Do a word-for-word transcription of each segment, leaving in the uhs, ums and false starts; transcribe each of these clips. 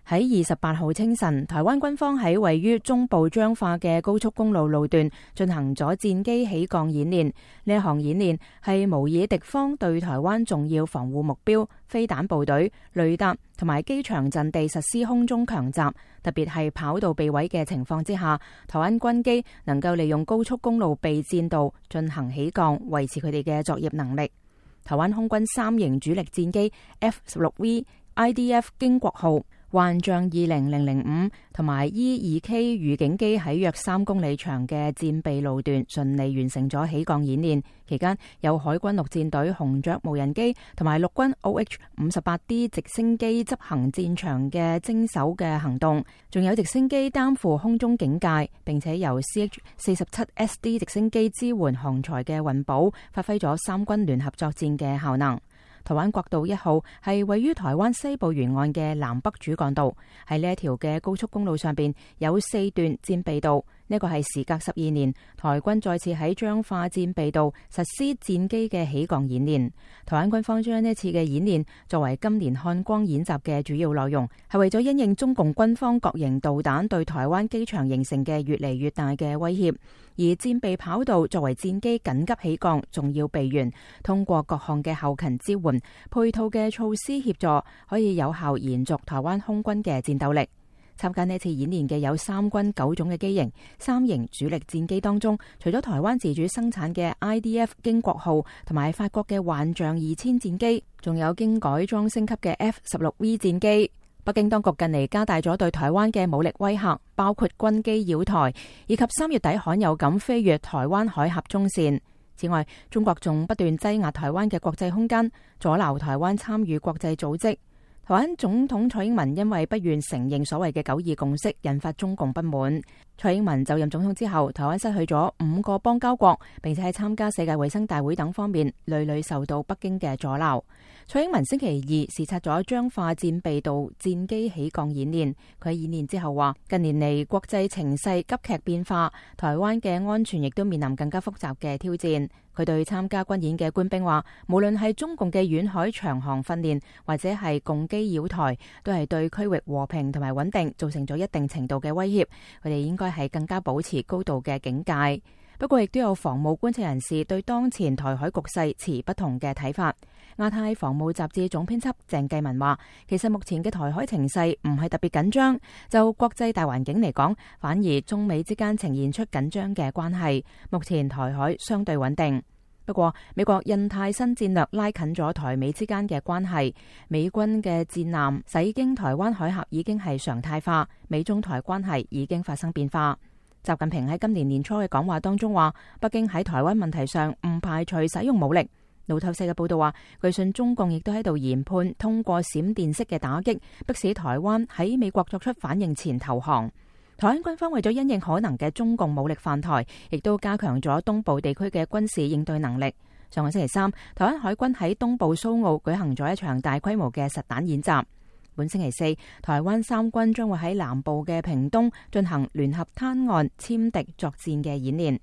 喺二十八號清晨，台灣軍方喺位於中部彰化嘅高速公路路段進行咗戰機起降演練。呢一項演練係模擬敵方對台灣重要防護目標、飛彈部隊、雷達同埋機場陣地實施空中強襲，特別係跑道被毀嘅情況之下，台灣軍機能夠利用高速公路備戰道進行起降，維持佢哋嘅作業能力。台灣空軍三型主力戰機 F 十六 V、I D F 經國號、幻象二零零零五同埋 E 二 K 預警機喺約三公里長嘅戰備路段順利完成咗起降演練。期間有海軍陸戰隊紅雀無人機同埋陸軍 O H 五十八 D 直升機執行戰場嘅偵搜嘅行動，仲有直升機擔負空中警戒，並且由 C H 四十七 S D 直升機支援航材嘅運補，發揮咗三軍聯合作戰嘅效能。台灣國道一號係位於台灣西部沿岸嘅南北主幹道，喺呢一條嘅高速公路上邊有四段戰備道。呢個係時隔十二年，台軍再次喺彰化戰備道實施戰機嘅起降演練。台灣軍方將呢次嘅演練作為今年漢光演習嘅主要內容，係為咗因應中共軍方各型導彈對台灣機場形成嘅越嚟越大嘅威脅。而戰備跑道作為戰機緊急起降重要備援，通過各項嘅後勤支援、配套嘅措施協助，可以有效延續台灣空軍嘅戰鬥力。參加呢次演練嘅有三軍九種嘅機型，三型主力戰機當中，除咗台灣自主生產嘅 I D F 經國號同埋法國嘅幻象二千戰機，仲有經改裝升級嘅 F 十六 V 戰機。北京當局近嚟加大咗對台灣嘅武力威嚇，包括軍機擾台，以及三月底罕有咁飛越台灣海峽中線。此外，中國仲不斷擠壓台灣嘅國際空間，阻撓台灣參與國際組織。台灣總統蔡英文因為不願承認所謂嘅九二共識，引發中共不滿。蔡英文就任總統之後，台灣失去咗五個邦交國，並且喺參加世界衛生大會等方面屢屢受到北京嘅阻撓。蔡英文星期二視察咗彰化戰備道戰機起降演練，佢喺演練之後話：近年嚟國際情勢急劇變化，台灣嘅安全亦都面臨更加複雜嘅挑戰。佢對參加軍演嘅官兵話：無論係中共嘅遠海長航訓練，或者係共機擾台，都係對區域和平同埋穩定造成咗一定程度嘅威脅。佢哋應該係更加保持高度嘅警戒。不過，亦都有防務觀察人士對當前台海局勢持不同嘅睇法。亞太防務雜誌總編輯鄭繼文話：其實目前嘅台海情勢唔係特別緊張，就國際大環境嚟講，反而中美之間呈現出緊張嘅關係。目前台海相對穩定。不過，美國印太新戰略拉近咗台美之間嘅關係，美軍嘅戰艦駛經台灣海峽已經係常態化，美中台關係已經發生變化。習近平喺今年年初嘅講話當中話，北京喺台灣問題上唔排除使用武力。路透社嘅報道話，據信中共亦都喺度研判通過閃電式嘅打擊，迫使台灣喺美國作出反應前投降。台灣軍方為咗因應可能嘅中共武力犯台，亦都加強咗東部地區嘅軍事應對能力。上個星期三，台灣海軍喺東部蘇澳舉行咗一場大規模嘅實彈演習。本星期四，台灣三軍將會喺南部嘅屏東進行聯合灘岸殲敵作戰嘅演練。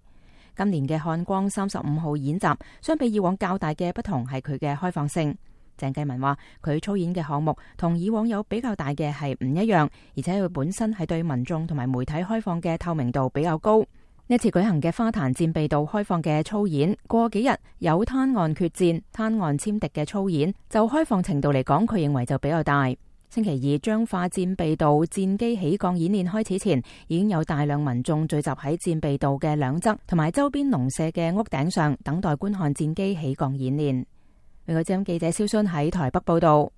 今年嘅漢光三十五號演習，相比以往較大嘅不同係佢嘅開放性。鄭繼文話，佢操演嘅項目同以往有比較大嘅係唔一樣，而且佢本身係對民眾同埋媒體開放嘅透明度比較高。呢次舉行嘅花壇戰備道開放嘅操演，過幾日有灘岸決戰、灘岸殲敵嘅操演，就開放程度嚟講，佢認為就比較大。星期二彰化戰備道戰機起降演練開始前，已經有大量民眾聚集喺戰備道嘅兩側同埋周邊農舍嘅屋頂上，等待觀看戰機起降演練。美國之音記者蕭순喺台北報道。